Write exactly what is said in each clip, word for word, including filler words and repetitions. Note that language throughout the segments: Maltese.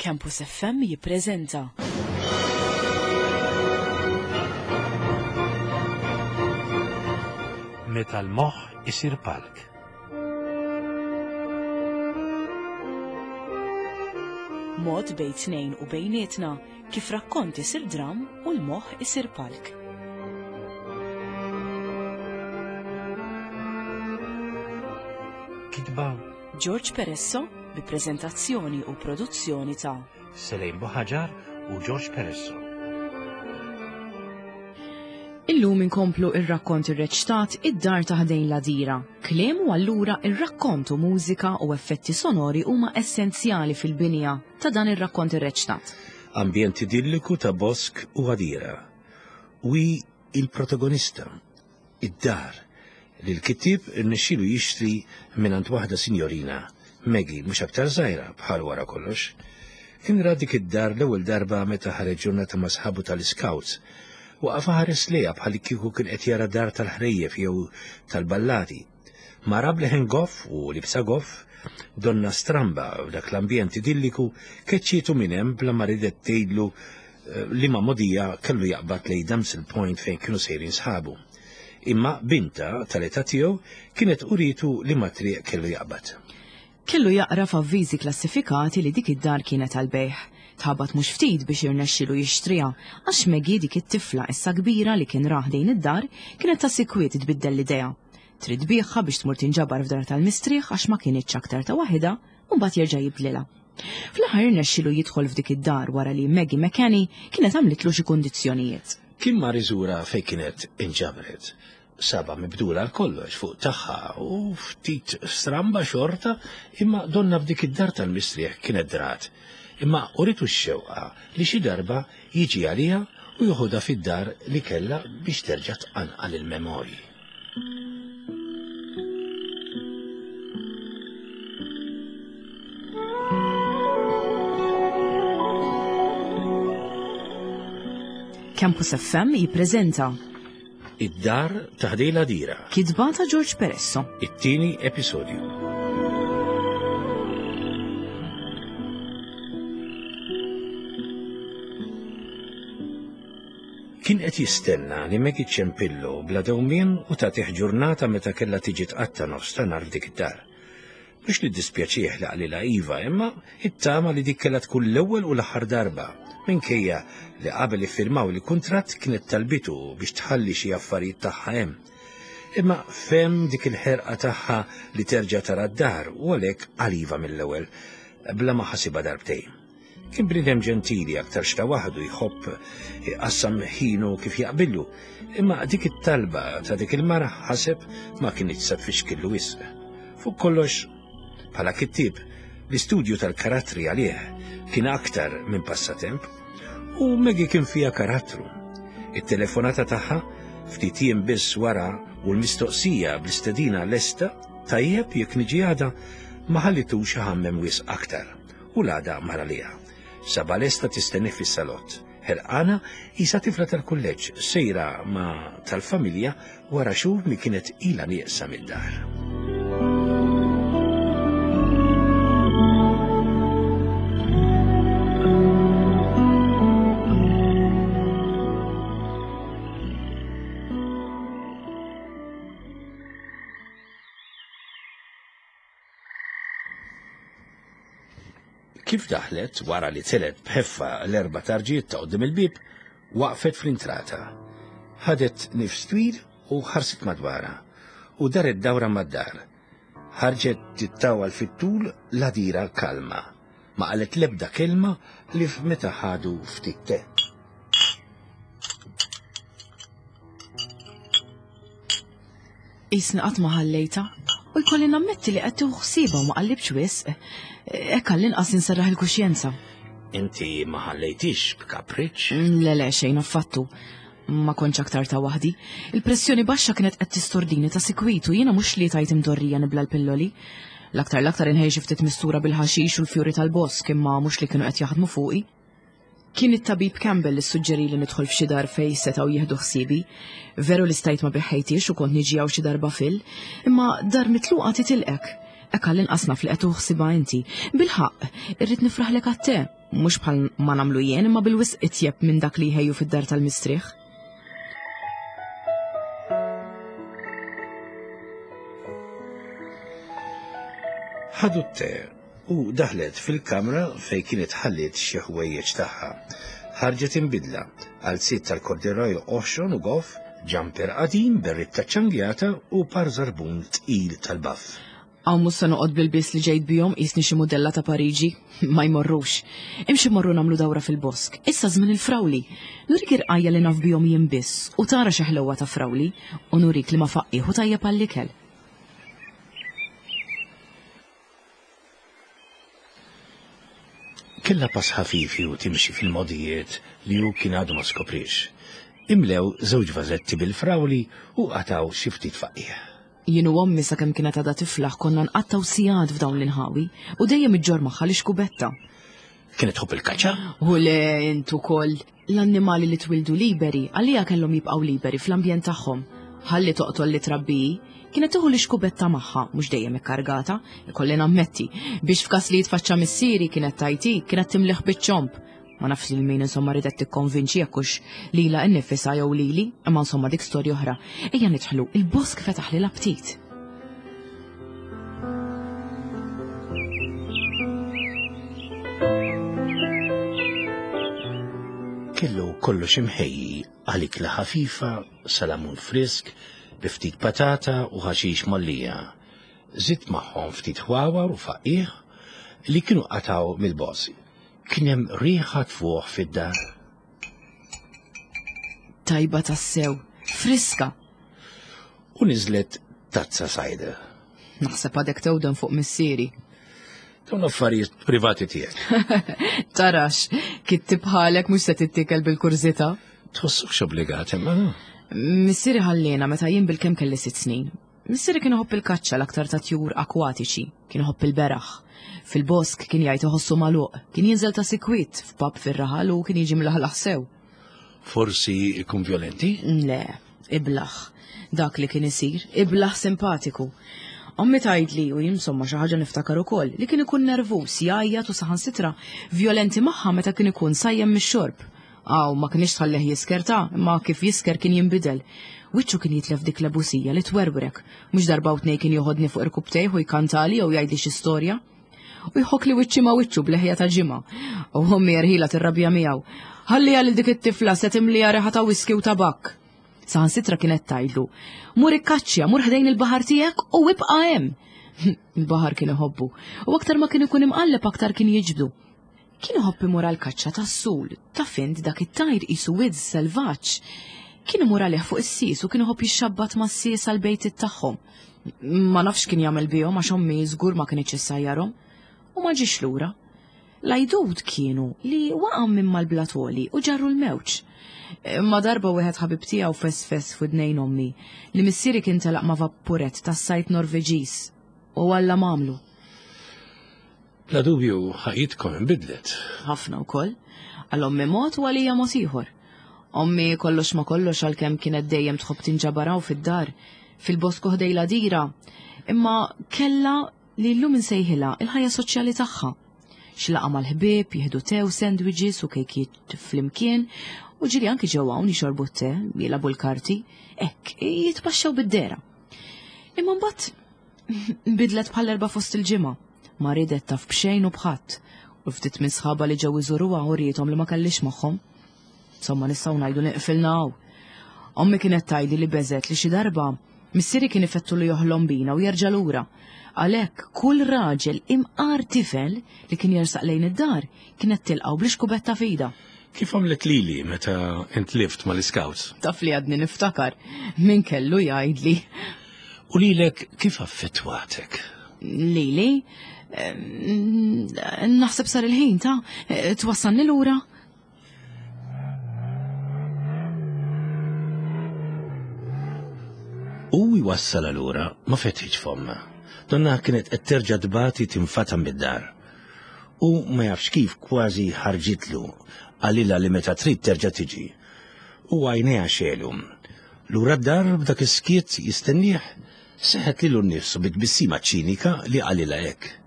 Campus F M jippreżenta Meta l-moħħ isir palk. Mod bejn tnejn u bejnietna kif rakkont isir dram u l-moħħ isir palk. Kitba George Peresso bi preżentazzjoni u produzzjoni ta' Selejn Buħaġar u George Peresso. Illum inkomplu ir-rakkont irreċtat Id-Dar ta' Ħdejn l-Għadira. Kliem u allura ir-rakkont u mużika u effetti sonori huma essenzjali fil-binja ta' dan ir-rakkont irreċtat. Ambjent idilliku ta' bosk u għadira. U hi il-protagonista, id-dar, li l-kittieb irnexxielu jixtri mingħand waħda sinjorina, Maggie, mhux aktar żgħira bħal wara kollox. Kien ra dik id-dar l-ewwel darba meta ħareġ ġurnata ma' sħabu tal-Scouts. Waqaf ħares lejha bħal kieku kien qed jara dar tal-ħrejjef jew tal-ballati. Mara bleħen goff u libsa goff, donna stramba f'dak l-ambjent idilliku, keċċietu minn hemm bla ma ridet tgħidlu, eh, li ma modija kellu jaqbad lejn Damsel Point fejn kienu sejrin sħabu. Imma binta tal-età tiegħu kienet uritu li ma triq kellu jaqbad. Kellu jaqra f'avviżi klassifikati li dik id-dar kienet għal-bejħ. Tħabat mhux ftit biex irnexxilu jixtriha, għax Maggie dik it-tifla issa kbira li kien rah dejn id-dar kienet ta' sikwit tbiddel l-idea. Trid tbigħha biex tmur tinġabar f'dar tal-mistrieħ għax ma kinitx aktar ta' waħedha u mbagħad jerġa' jibdlilha. Fl-aħħar irnexxilu jidħol f'dik id-dar wara li Maggie McKenny kienet għamlitlu xi kundizzjonijiet. Kien mar iżura fejn kienet inġabret. Saba mibdula għal kollox fuq tagħha u ftit stramba xorta, imma donna f'dik id-dar tal-mistrieħ kienet drat. Imma uritu x-xewqa li xi darba jiġi għaliha u joħodha fid-dar li kellha biex terġa' tqanqal il-memorji. Campus F M jippreżenta Id-Dar ta' Ħdejn l-Għadira. Kitba ta' George Peresso. It-tieni episodju. Kien qed jistenna li Maggie ċempillu bla dewmien u tagħtih ġurnata meta kellha tiġi tqatta' nofs ta' nhar f'dik id-dar. Mhux li ddispjaċih li qalilha iva, imma ittama li dik kellha tkun l-ewwel u l-aħħar darba, minkejja li qabel iffirmaw il-kuntratt kienet talbitu biex tħalli xi affarijiet tagħha hemm. Imma fem dik il-ħerqa tagħha li terġa' tara d-dar u għalhekk qal iva mill-ewwel, bla ma ħasibha darbtejn. Kien bniedem ġentili aktar xta waħdu jħobb iqassam ħinu kif jaqbillu, imma dik it-talba ta' dik il-mara ħaseb ma kinitx sa tfixkillu wisq. Fuq kollox, bħala kittieb, l-istudju tal-karattri għalih kien aktar minn passatemp u Maggie kien fiha karattru. It-telefonata tagħha ftit jiem biss wara u l-mistoqsija bl-istedina lesta tajjeb jekk niġi għada ma ħallitux iħammem wisq aktar u l-għada mara liha. Saba lesta tistenni fis-salott. Ħerqana isa tifla tal-kulleġġ sejra ma' tal-familja wara xhur li kienet ilha nieqsa mid-dar. Kif daħlet wara li telet b'ħeffa l-erba' tarġiet ta' quddiem il-bieb, waqfet fl-intrata. Ħadet nifs twil u ħarset madwarha u daret dawra mad-dar. Ħarġet tittawal fit-tul l-għadira kalma. Ma qalet l-ebda kelma li f'meta ħadu ftit te. Isni qatt ma ħallejta u jkolli nammetti li qed tieħu ħsiebha u ma qallibx wisq. Hekk għall-inqas inserraħ il-kuxjenza. Inti ma ħallejtix b'kapriċċ? Le, le, xejn affattu. Ma kontx aktar ta' waħdi. Il-pressjoni baxxa kienet qed tistordini ta' sikwit u jiena mhux li tajt imdorrija nibla l-pilloli. L-aktar l-aktar inħejx ftit mistura bil-ħaxix u l-fjuri tal-bosk imma mhux li kienu qed jaħdmu fuqi. Kien it-tabib Campbell li suġġeri li nidħol f'xi dar fejn setgħu jieħdu ħsiebi. Veru li stajt ma biħħejtix u kont niġi hawn xi darba fil, imma dar mitluqa titilqek. Hekk għall-inqas naf li qed tuħsibha inti. Bil-ħaqq, irrid nifraħlek għat-te. Mhux bħal ma nagħmlu jien imma bil-wisq itjeb minn dak li jħejju fid-dar tal-mistrieħ. Ħadu t-te u daħlet fil-kamra fejn kienet ħalliet xi ħwejjeġ tagħha. Ħarġet imbidla għal sit tal-kordiroj oħxon u goff, ġamper qadim, berritta ċangjata u par żarbun tqil tal-baff. Hawn mhux se noqgħod bil-bies li ġejt bihom qisni xi mudella ta' Pariġi. Ma jmorrux. Imxi mmorru nagħmlu dawra fil-bosk. Issa żmien il-frawli. Nurik irqajja li naf bihom jien biss u tara xi ħlewwa ta' frawli u nurik li ma faqqih u tajjeb għall-ikel. Kellha pass ħafifi u timxi fil-modijiet li hu kien għadu ma skoprix. Imlew żewġ vażetti bil-frawli u qataw xi ftit faqih. Jien u ommi sakemm kienet għadha tiflaħ konna nqattaw sigħat f'dawn l-inħawi u dejjem iġġor magħha l-ixkubetta. Kienet tħobb il-kaċċa? U le int ukoll. L-annimali li twildu liberi għalija kellhom jibqgħu liberi fl-ambjent tagħhom. Ħalli toqtol li trabbi, kienet tieħu l-ixkubetta magħha, mhux dejjem ikkargata, ikolli nammetti, biex f'każ li jitfaċċa missieri kienet tajti, kienet timliħ biċ-ċomp. Ma nafx lil min insomma ridet tikkonvinċi jekk hux lilha nnifisha jew lili, imma insomma dik storja oħra. Ejja nidħlu, il-bosk fetaħli l-aptit. Kellu kollox imħejji għal ikla ħafifa, salamun frisk, bi ftit patata u ħaxix mollija. Żidt magħhom ftit ħwawar u faqih li kienu qataw mill-bosk. Kien hemm riħa tfuħ fid-dar. Tajba tassew, friska. U niżlet tazza sajda. Naħseb għadek tewden fuq missieri. Dawn affarijiet privati tiegħek. Tarax, kitti bħalek mhux se tittikel bil-kurżità. Tħossokx obbligat imma. Missieri ħallina meta jien bil-kemm kelli sitt snin. Missieri kien iħobb il-kaċċa l-aktar ta' tjur akwatiċi, kien iħobb il-beraħ. Fil-bosk kien jgħid iħossu magħluq, kien jinżel ta' sikwit f'pub fir-raħal u kien jiġi mlaħlaħ sew. Forsi ikun violenti? Le, iblaħ. Dak li kien isir, iblaħ simpatiku. Ommi tgħidli u jien insomma xi ħaġa niftakar ukoll li kien ikun nervuż, jgħajjat u saħansitra violenti magħha meta kien ikun sajjem mix-xorb. Aw, ma kienx tħallih jisker ta' imma kif jisker kien jinbidel. Wiċċu kien jitlef dik l-ebusija li twerwrek. Mhux darba u tnejn kien joħodni fuq irkubtejh u jkantali jew jgħidli xi storja. U jħok li wiċċi ma' wiċċu b'leħja ta' ġimgħa. U ommi erħila tirrabja miegħu. Ħalliha lil dik it-tifla se timliha reħa ta' whisky u tabakk. Saħansitra kienet tgħidlu, mur ikkaċċja, mur ħdejn il-baħar tiegħek u ibqa' hemm. Il-baħar kien iħobbu u aktar ma kien ikun imqalleb aktar kien jiġbdu. Kien iħobb imur għall-kaċċa tas-sul, ta' fint dak it-tajr qisu widz selvaġġ. Kien imur għalih fuq is-sies u kien iħobb jixxabbat mas-sies għall-bejtiet tagħhom. Ma nafx kien jagħmel bihom għax ommi żgur ma kinitx issajjarhom. U ma ġiex lura. L-għajdut kienu li waqa' minn mal-blatoli u ġarru l-mewġ. Imma darba wieħed ħabib tiegħu fesfes f'widnejn ommi li missieri kien telaq ma' vappuret tas-sajt Norveġiż u Alla m'għamlu. Bla dubju ħajjitkom inbidlet. Ħafna wkoll. Għal ommi mod u għalija mod ieħor. Ommi kollox ma kollox għalkemm kienet dejjem tħobb tinġabaraw fid-dar, fil-bosku ħdej l-għadira, imma kellha li llum insejħilha il-ħajja soċjali tagħha. Xi laqgħa mal-ħbieb, jieħdu te u sandwiches u kejkiet flimkien, u ġieli anki ġew hawn jixorbu t-te, jilagħbu l-karti, hekk jitpaxxew bid-dera. Imma mbagħad nbidlet bħal erba' fost il-ġimgħa. Ma ridet taf b'xejn u b'ħadd, u ftit minn sħabha li ġew iżuruha u riethom li ma kellix magħhom. Insomma nistgħu ngħidu li qfilna hawn. Ommi kienet tgħidli li beżet li xi darba missieri kien ifettu li joħlom bina u jerġa' lura. Għalhekk kull raġel imqar tifel li kien jersaq lejn id-dar kienet tilqgħu bl-ixkubetta f'idha. Kif għamlet lili meta intlift mal-iskawts? Taf li għadni niftakar, min kellu jgħidli. U lilek kif affettwatek? Lili? Naħseb sar il-ħin ta' twassalni lura. U jwassal lura ma fetħitx fomma. Donna kienet qed terġa' tbati tinfata mid-dar. U ma jafx kif kważi ħarġitlu qalilha li meta trid terġa' tiġi. U għajnejha xelu. Lura d-dar b'dak is-skiet jistennieh seħet lilu nnifsu bit-tbissima ċinika li qalilha hekk.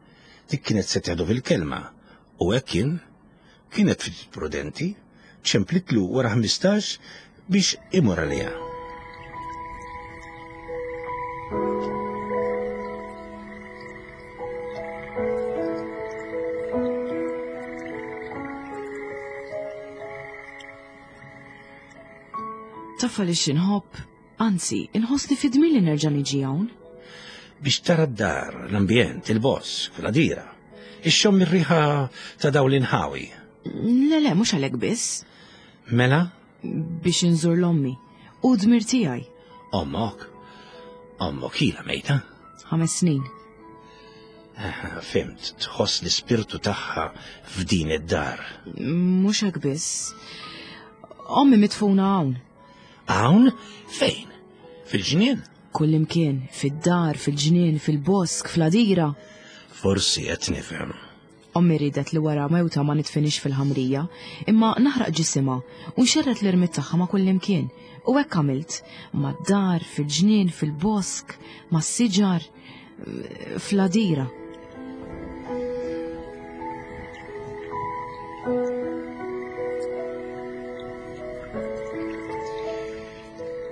Dik kienet se teħdu fil-kelma u hekk kien Kienet ftit prudenti, ċemplitlu wara ħmistax biex imur għaliha. Taf għaliex inħobb, anzi, inħossni fidmi li nerġa' niġi hawn. Biex tara d-dar, l-ambjent, il-bosk, l-għadira, ixxomm ir-riħa ta' dawn l-inħawi. Le, le, mhux għalhekk biss. Mela? Biex inżur l-ommi. U dmir tiegħi. Ommok? Ommok ilha mejta? Ħames snin. Fimt, tħoss l-ispirtu tagħha f'din id-dar. Mhux hekk biss. Ommi mitfuna hawn. Hawn? Fejn? Fil-ġnien? Kullimkien, fid-dar, fil-ġnien, fil-bosk, fl-għadira. Forsi qed nifhem. Ommi ridet li wara mewta ma nitfinix fil-ħamrija, imma naħraq ġisimha u nxerret l-irmid tagħha ma' kullimkien. U hekk għamilt, mad-dar, fil-ġnien, fil-bosk, mas-siġar, fl-għadira.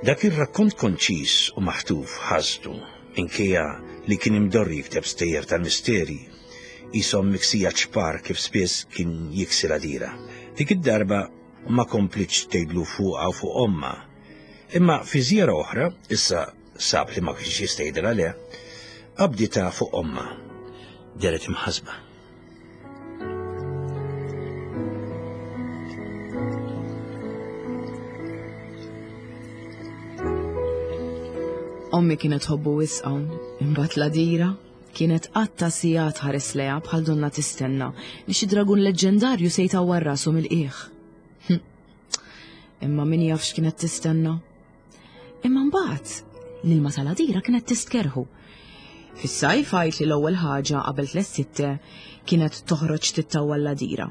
Dak ir-rakkont konċis u maħtuf ħasdu, minkejja li kien imdorri jikteb stejjer tal-misteri, qishom miksija ċpar kif spiss kien jiksi l-għadira. Dik id-darba ma komplitx tgħidlu fuqha u fuq omma. Imma fi żjara oħra, issa sab li ma kienx jista' jgħidilha le, qabditha fuq omma. Deret imħasba. Ommi kienet tħobbu wisq hawn, imbagħad l-għadira kienet qatta sigħat ħares lejha bħal donna tistenna li xi dragun leġġendarju se jtawwar rasu mill-qiegħ. Imma min jaf x'kienet tistenna. Imma mbagħad l-ilma tal-għadira kienet tistkerħu. Fis-sajf għajt li l-ewwel ħaġa qabel tliet sitte kienet toħroġ tittawwa l-għadira.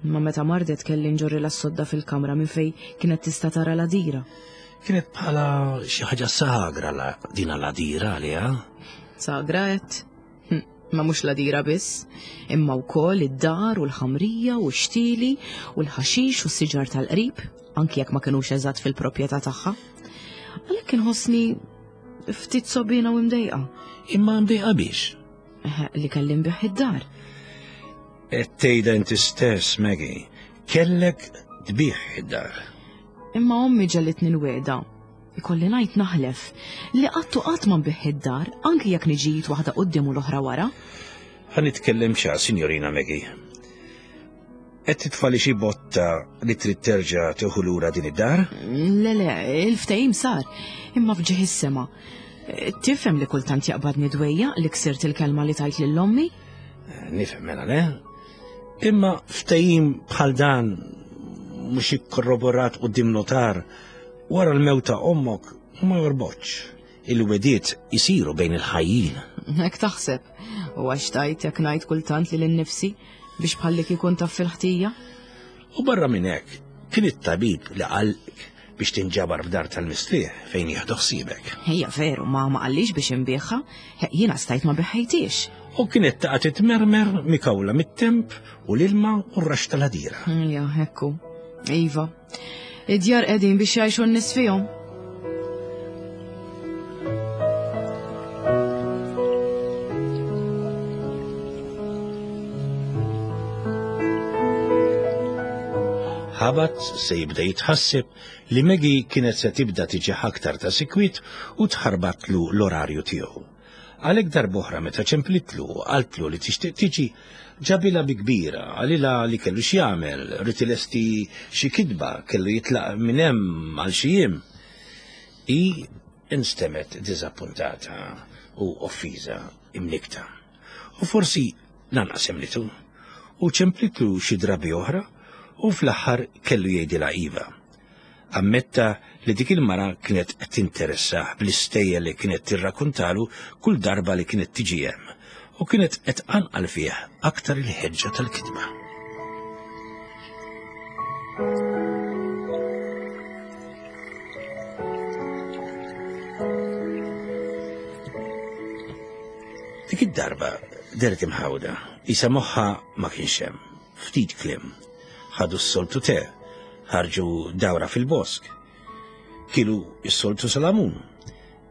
Imma meta mardet kelli nġorri l-sodda fil-kamra minn fejn kienet tista' tara l-għadira. Kienet bħala xi ħaġa sagra la din l-għadira għaliha. Sagra qed. Ma mhux l-għadira biss, imma wkoll id-dar u l-ħamrija u x-xtieli u l-ħaxix u s-siġar tal-qrib, anki jekk ma kinux eżatt fil-proprjetà tagħha. Għalhekk inħossni ftit sobina u mdejqa. Imma mdejqa biex? Li kelli nbigħ id-dar. Qed tgħidha inti stess, Maggie, kellek tbigħ id-dar. Imma ommi ġellitni l-weda. Ikolli ngħid naħlef li qatt u qatt ma nbigħ id-dar, anki jekk niġi waħda quddiem u l-oħra wara. Ħa nitkellem xa, Signorina Maggie. Qed titfali xi botta li trid terġa' tieħu lura din id-dar? Le, le, il-ftehim sar, imma f'ġieħ is-sema. Tifhem li kultant jaqbadni dwejja li ksirt il-kelma li tajt lil ommi? Nifhem mela, le? Imma ftehim bħal dan mhux ikkorroborat quddiem notar wara l-mewt ta' ommok ma jorbotx. Il-wediet isiru bejn il-ħajjin. Hekk taħseb. U għax tajt jekk ngħid kultant lil innifsi biex bħallik ikun taf fil-ħtija? U barra minn hekk, kien it-tabib li qallek biex tinġabar f'dar tal-mistrieħ fejn jieħdu ħsiebek. Hija veru, ma ma qallix biex inbiegħha, jiena stajt ma biħejtix. U kienet taqa' titmermer mikawla mit-temp u l-ilma u r-rax tal-għadira. Ija, hekku. Iva, id-djar qegħdin biex jgħixu n-nies fihom. Ħabat se jibda jitħasseb li Maggie kienet se tibda tiġi aktar ta' sikwit u tħarbatlu l-orarju tiegħu. Għalhekk darb'oħra meta ċemplitlu u qaltlu li tixtieq tiġi, ġabilha bi kbira, qalilha li kellu x'jagħmel, rid ilesti xi kitba, kellu jitlaq minn hemm għal xi jiem. Hi instemmet diżappuntata u offiża imnikta. U forsi lanqas emlitu. U ċemplitlu xi drabi oħra u fl-aħħar kellu jgħidilha iva. Ammetta li dik il-mara kienet tinteressah bl-istejjer li kienet tirrakkuntalu kull darba li kienet tiġi hemm u kienet qed tqanqal fih aktar il-ħeġġa tal-kitba. Dik id-darba deret imħawda, isa moħħa ma kienx hemm, ftit kliem. Ħadu s-soltu te, ħarġu dawra fil-bosk. Kielu s-soltu salamun.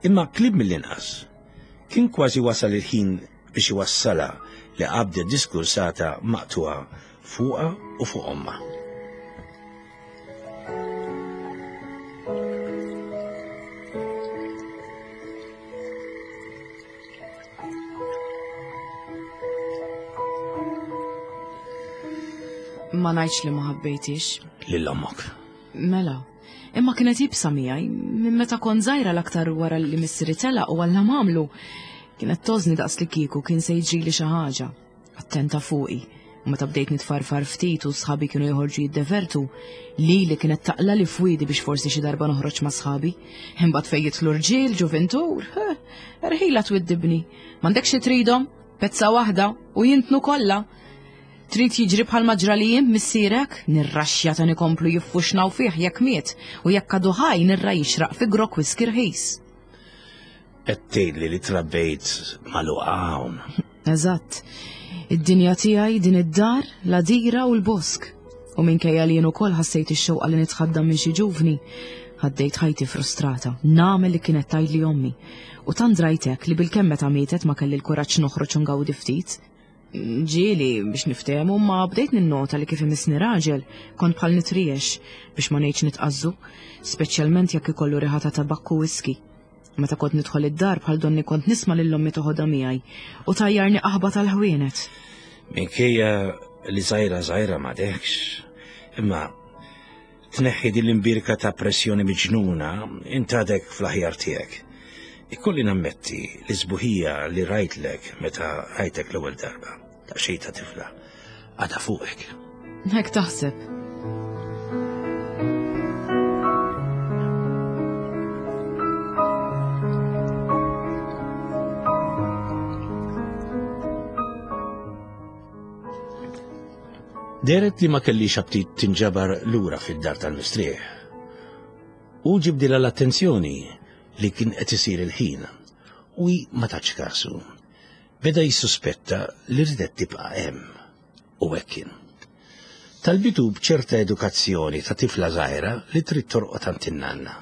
Imma klib mill-inqas. Kien kważi wasal il-ħin biex iwassala li qabdet diskursata maqtuha fuqha u fuq ommha. Ma ngħidx li ma ħabbejtix. Lil ommok. Mela, imma kienet jibsa miegħi minn meta kont żgħira l-aktar wara li missieri telaq u Alla m'għamlu. Kienet tożni daqs li kieku kien se jiġrili xi ħaġa. Attenta fuqi. U meta bdejt nitfarfar ftit u sħabi kienu joħorġu jiddevertu, lili kienet taqla li fwiedi biex forsi xi darba noħroġ ma' sħabi. Imbagħad fejn jidħlu rġiel, ġuventur, erħila twiddibni. M'għandekx xi tridhom, pezza waħda u jintnu kollha. Trid jiġri bħal ma ġra li jien missierek, nirraxxja ta' nikomplu jiffuxnaw fih jekk miet u jekk għadu ħaj nirra jixraq fi grok whisky rħis. Qed tgħidli li trabbejt magħluqa hawn. Eżatt. Id-dinja tiegħi din id-dar, l-għadira u l-bosk. U minkejja li jien ukoll ħassejt ix-xewqa li nitħaddam minn xi ġuvni, ħaddejt ħajti frustrata, nagħmel li kienet tgħidli ommi. U tant drajtek li bilkemm meta mietet ma kelli l-kuraġġ noħroġ u ngawdi ftit. Ġieli biex niftehmu, ma bdejt ninnota li kif imissni raġel kont bħal nitriex biex ma ngħidx nitqazzu, speċjalment jekk ikollu riħa ta' tabakku whisky. Meta kont nidħol id-dar bħal donni kont nisma' lil ommi toħodha miegħi u tajjarni qaħba tal-ħwienet. Minkejja li żgħira żgħira m'għadekx, imma tneħħi din l-imbirka ta' pressjoni miġnuna int għadek fl-aħjar tiegħek. Ikolli nammetti li sbuħija li rajtlek meta rajtek l-ewwel darba, ta' xejn ta' tifla, għadha fuqek. Hekk taħseb. Deret li ma kellix aptit tinġabar lura fid-dar tal-mistrieħ. U ġibdilha l-attenzjoni li kien qed isir il-ħin u hi ma tatx kasu. Beda jissuspetta li ridet tibqa' hemm u hekk kien. Talbitu b'ċerta edukazzjoni ta' tifla żgħira li trid torqod għand in-nanna.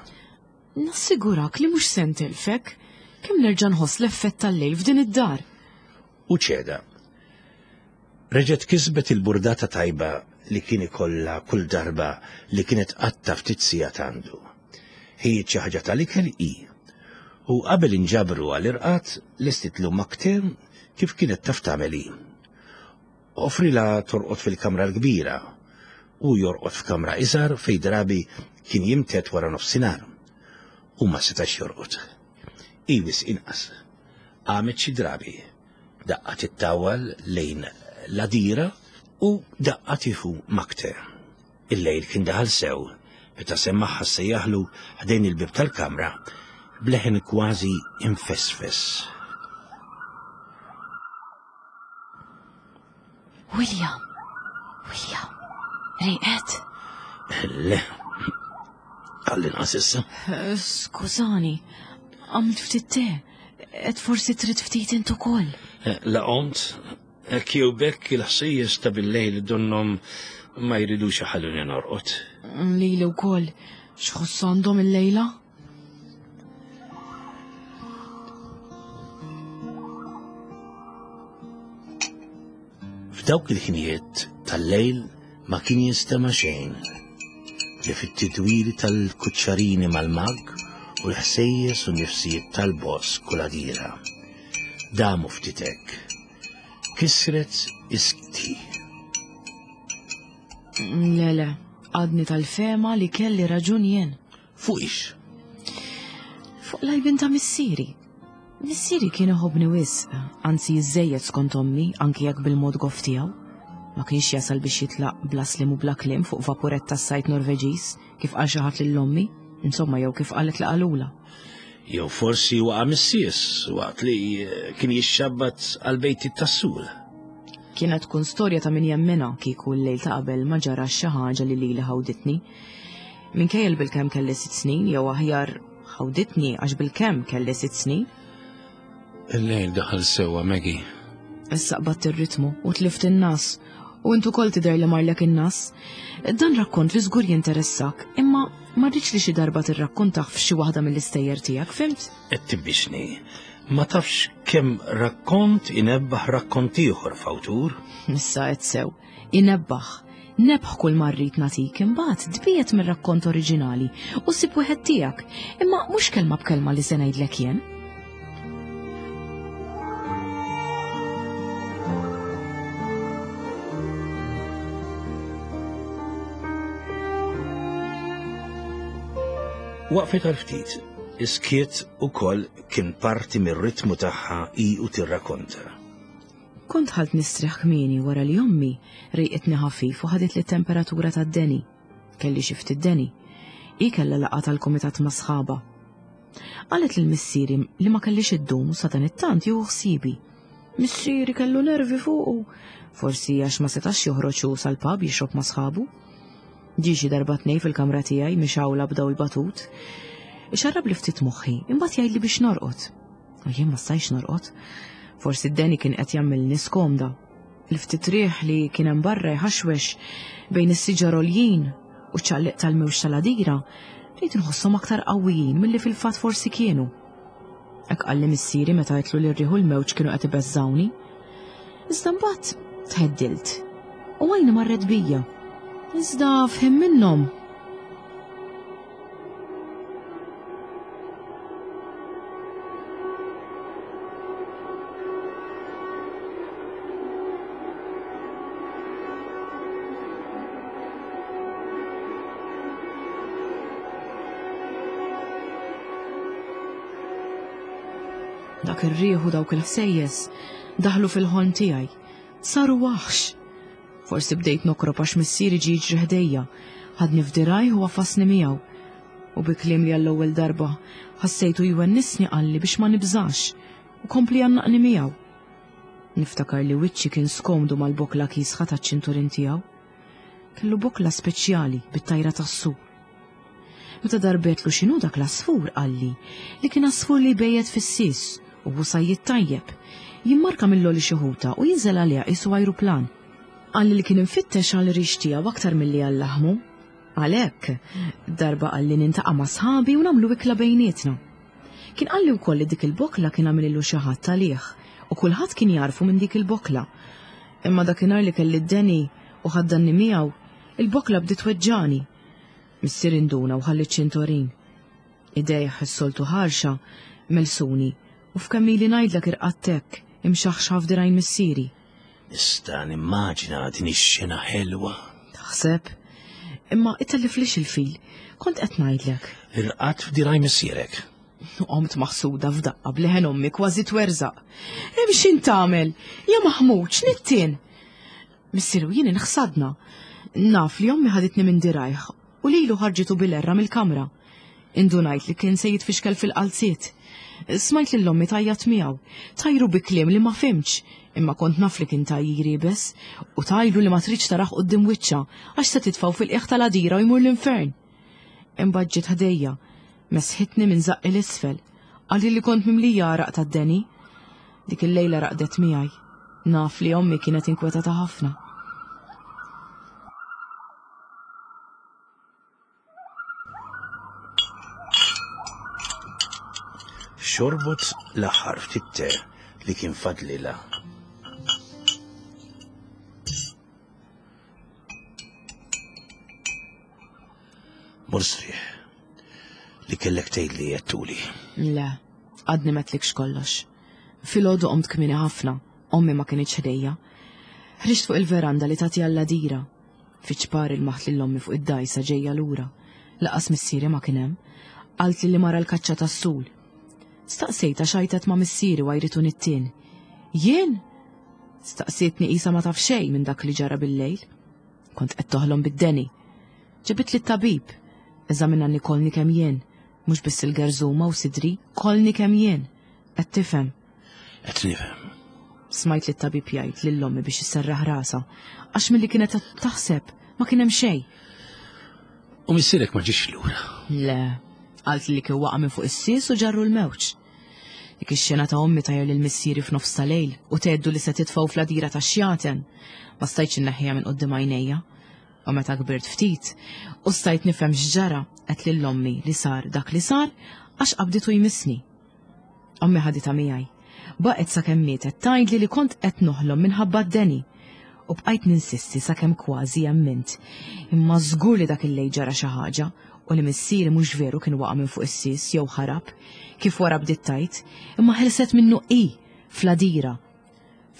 Nassigurak li mhux se ntilfek, kemm nerġa' nħoss l-effett tal-lejl f'din id-dar. U ċeda. Reġgħet kisbet il-burdata tajba li kien ikollha kull darba li kienet qatta ftit sigħat għandu. Ħijiet xi ħaġa tal-ikel hi. U qabel inġabru għall-irqad lestitlu makter kif kienet taf tagħmel hi. Offrilha torqod fil-kamra l-kbira u jorqod f'kamra iżgħar fejn drabi kien jimtet wara nofsinhar. U ma setax jorqod. Hi wisq inqas. Qamet xi drabi, daqqa tittawal lejn l-għadira u daqqa tieħu makter. Il-lejl kien daħal sew meta semmaħħa sejjaħlu ħdejn il-bib tal-kamra bleħen kważi infesfes. William, William, riqet? Le, għall-inqas issa. Skużani, għamilt ftit te, et forsi trid ftit int ukoll. La qomt, hekk jew bekk il-ħsejjes ta' bil-lejl donhom ma jridux iħalluni norqod. Lili wkoll, x'ħoss għandhom il-lejla? F'dawk il-ħinijiet tal-lejl ma kien jinstema' xejn li fit-tidwiri tal-kuċċarini mal-mag u l-ħsejjes u nifsijiet tal-bosk u l-għadira. Damu ftit hekk. Kisret iskti. Le, le, għadni tal-fema li kelli raġun jien. Fuq ix? Fuq lajbin ta' missieri. Missieri kien iħobbni wisq, anzi jiżżejjed skont ommi, anki jekk bil-mod goff tiegħu. Ma kienx jasal biex jitlaq bla slim u bla kliem fuq vapurett tas-sajt Norveġiż, kif qal xi ħadd lil ommi, insomma jew kif qalet li qalula. Jew forsi waqa' missies waqt li kien jixxabbat għal bejti tas-sul. Kienet tkun storja ta' min jemmina kieku l-lejl ta' qabel ma ġarax xi ħaġa li lili ħawditni. Minkejja bilkemm kelli sitt snin, jew aħjar ħawditni għax bilkemm kelli sitt snin. Il-lejl daħal sewwa, Maggie. Issa qbadt ir-ritmu u tlift in-nas U intu kol tidher li marlek in-nas. Dan rakkont li żgur jinteressak, imma ma rridx li xi darba tirrakkontah f'xi waħda mill-istejjer tiegħek, fimt? Qed tibbixni. Ma tafx kemm rakkont inebbaħ rakkont ieħor f'awtur? Issa qed sew. Inebbaħ. Nebħ kull ma rrid nagħtik imbagħad tbiet mir-rakkont oriġinali u sib wieħed tiegħek, imma mhux kelma b'kelma li se ngħidlek jien. Waqfet għal ftit, iskiet ukoll kien parti mir-ritmu tagħha hi u tirrakonta. Kont ħalt nistrieħ kmieni wara li ommi rejqitni ħafif u ħadit li temperatura tad-deni. Kelli xi ftit deni. Hi kellha laqgħa tal-kumitat ma' sħaba. Qalet lil missieri li ma kellix iddum u sadanittant jieħu ħsiebi. Missieri kellu nervi fuqu, forsi għax ma setax joħroġ hu sal-pub jixrob ma' sħabu. Ġie xi darba tnejn fil-kamra tiegħi mixgħula b'daw il-batut. Ixarrab li ftit moħħi, imbagħad jgħidli biex norqod. U jien ma stajtx norqod. Forsi d-deni kien qed jagħmilni skomda. Il-ftit riħ li kien hemm barra jħaxwex bejn is-siġar għoljin u ċ-ċalliq tal-mewġ tal-għadira, bdejt inħosshom aktar qawwijin milli fil-fatt forsi kienu. Hekk qalli missieri meta għedtlu li r-riħ u l-mewġ kienu qed ibeżżawni. Iżda mbagħad tħeddilt u għajni marret bija. Iżda f'ħin minnhom. Dak ir-riħ u dawk il-ħsejjes daħlu fil-ħolm tiegħi. Saru waħx. Forsi bdejt nokrob għax missieri ġie jiġri ħdejja, ħadni f'dirajh u għafasni miegħu. U bi kliem li għall-ewwel darba ħassejtu jwennisni qalli biex ma nibżax u kompli jgħannaqni miegħu. Niftakar li wiċċi kien skomdu mal-bokla kiesħa taċ-ċinturin tiegħu. Kellu bokla speċjali bit-tajra tas-sur. Meta darbetlu x'inhu dak l-asfur qalli li kien asfur li jbejjed fis-sis u hu sajjied tajjeb. Jimmarka mill-għoli xi ħuta u jinżel għaliha qisu ajruplan. Qalli li kien infittex għal rix tiegħu aktar milli għal laħmu. Għalhekk, darba qalli nintaqa' ma' sħabi u nagħmlu ikla bejnietna. Kien qalli wkoll li dik il-bokla kien għamillu xi ħadd għalih u kulħadd kien jarfu minn dik il-bokla. Imma dakinhar li kelli d-deni u ħaddanni miegħu, il-bokla bdiet tweġġani. Missier induna u ħalli ċ-ċintorin. Idejh is-soltu ħarxa melsuni u f'kemm ili ngħidlek irqadtek imxaħxaħ f'dirajn missieri. Nista' nimmaġina din ix-xena ħelwa. Taħseb? Imma itelliflix il-fil, kont qed ngħidlek. Irqadt f'dirajn missierek. Qomt maħsuda f'daqqa b'leħen ommi kważi twerżaq. Hemm x'in tagħmel? Ja maħmud, x'nittien? Missier u jien inħsadna. Naf li ommi ħaditni minn dirajh u lilu ħarġitu bil-erra mill-kamra. Indunajt li kien se jitfixkel fil-qalziet. Smajt lil ommi tajjat miegħu, tajru bi kliem li ma fimx, imma kont naf li kien tajjir iebes u tajlu li ma tridx taraħ quddiem wiċċha għax se titfgħu fil-qiegħ tal-għadira u jmur l-infern. Imbagħad ġiet ħdejja, mesħitni minn żaqqi l-isfel, qalli li kont mimlija għaraq tad-deni. Dik il-lejla raqdet miegħi. Naf li ommi kienet inkwetata ħafna. Xorbot l-aħħar ftit te li kien fadlilha. Mur sriħ li kellek tgħidli jettuli. Le, għadni m'għedtlikx kollox. Filgħodu qomt kmieni ħafna, ommi ma kinitx ħdejja. Ħriġt fuq il-veranda li tagħti għall-għadira. Fiċ-ċpar il-maħt lil ommi fuq id-dgħajsa ġejja lura. Laqas missieri ma kien hemm. Qaltli li mara l-kaċċa tas-sul. Staqsejtha x'għajtet ma' missieri għajritu nittien. Jien? Staqsietni qisha ma taf xejn minn dak li ġara bil-lejl. Kont qed toħlom bid-deni. Ġabit li t-tabib. Eżaminani kolni kemm jien, mhux biss il-gerżuma u sidri, kolni kemm jien. Qed tifhem? Qed nifhem. Smajt li t-tabib jgħid lil ommi biex isserraħ rasha, għax milli kienet qed taħseb ma kien hemm xejn. U missierek ma ġiex lura? Le, qalt li kien waqa' minn fuq is-sies u ġarru l-mewġ. Dik ix-xena ta' ommi tajjer lil missieri f'nofs ta' lejl u tgħeddu li se titfgħu fl-għadira tax-xjaten. Ma stajtx inneħħiha minn quddiem għajnejja. U meta kbirt ftit, u stajt nifhem x'ġara għedt lil ommi li sar dak li sar għax qabditu jmissni. Ommi ħaditha miegħi. Baqgħet sakemm mietet tgħidli li kont qed noħlom minħabba d-deni. U bqajt ninsisti sakemm kważi emmint. Imma żgur li dak il-lejl ġara xi ħaġa u li missieri mhux veru kien waqa' minn fuq is-sis jew ħarab, kif wara bdiet tgħid, imma ħelset minnu hi fl-għadira,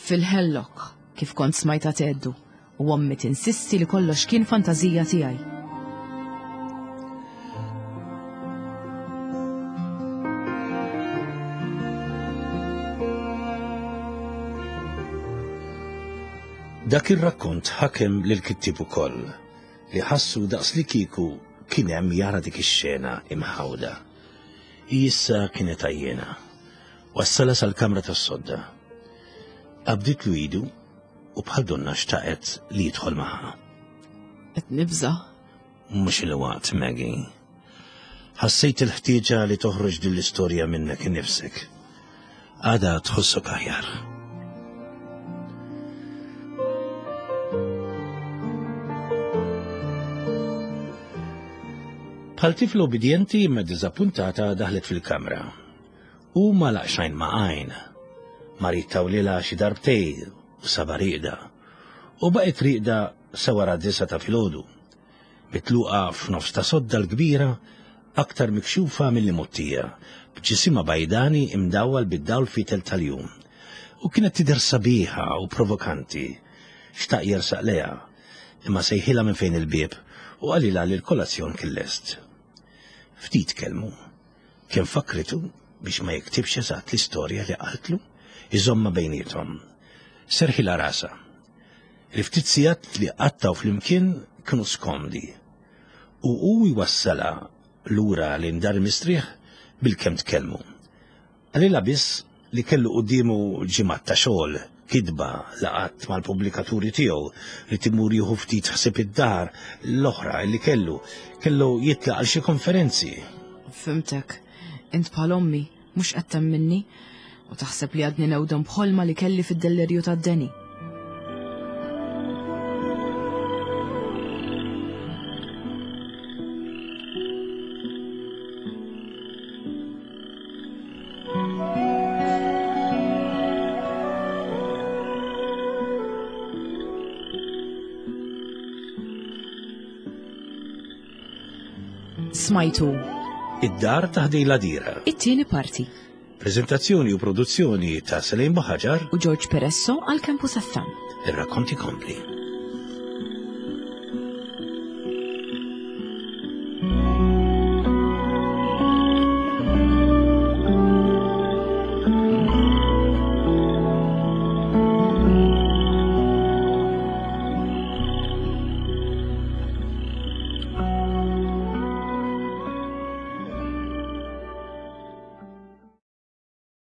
fil-hemlock, kif kont smajtha tgħeddu, u ommi tinsisti li kollox kien fantażija tiegħi. Dak ir-rakkont ħakem lil kittieb ukoll li ħassu daqs li kieku kien hemm jara dik ix-xena imħawda. Issa kienet għajjena. Wassala sal-kamra tas-sodda. Qabditlu idu u bħal donna xtaqet li jidħol magħha. Qed nibża'. Mhux il-waqt, Maggie. Ħassejt il-ħtieġa li toħroġ din l-istorja minnek innifsek. Għada tħossok aħjar. Bħal tifla obbedjenti imma diżappuntata daħlet fil-kamra. U ma laqxajn ma għajn. Mar jittawlilha xi darbtejn u saba rieqda. U baqgħet rieqda sa wara disgħa ta' filgħodu. Mitluqa f'nofs ta' sodda l-kbira, aktar mikxufa milli mgħottija, b'ġisimha bajdani imdawwal bid-dawl fitel tal-jum. U kienet tidher sabiħa u provokanti. Xtaq jersaq lejha, imma sejħilha minn fejn il-bieb u qalilha li l-kolazzjon kien lest. Ftit kelmu. Kien fakritu biex ma jiktibx eżatt l-istorja li qaltlu, iżomma bejniethom. Serħilha rasha. Il-ftit sigħat li qattaw flimkien kienu skomdi. U hu jwassalha lura lejn dar mistrieħ bil-kemm tkellmu. Qalilha biss li kellu quddiemu ġimgħat ta' xogħol, kitba, laqgħat mal-pubblikaturi tiegħu li timur jieħu ftit ħsieb id-dar l-oħra li kellu, kellu jitlaq għal xi konferenzi. Fhimtek, int bħal ommi, mhux qed temminni u taħseb li għadni newdem b'ħolma li kelli fid-dellerju tad-deni. Smajtu Id-dar ta' ħdejn l-għadira. It-tieni parti. Prezentazzjoni u produzzjoni ta' Selene Buhagiar u George Peresso għal Campus F M. Ir-rakkonti kompli.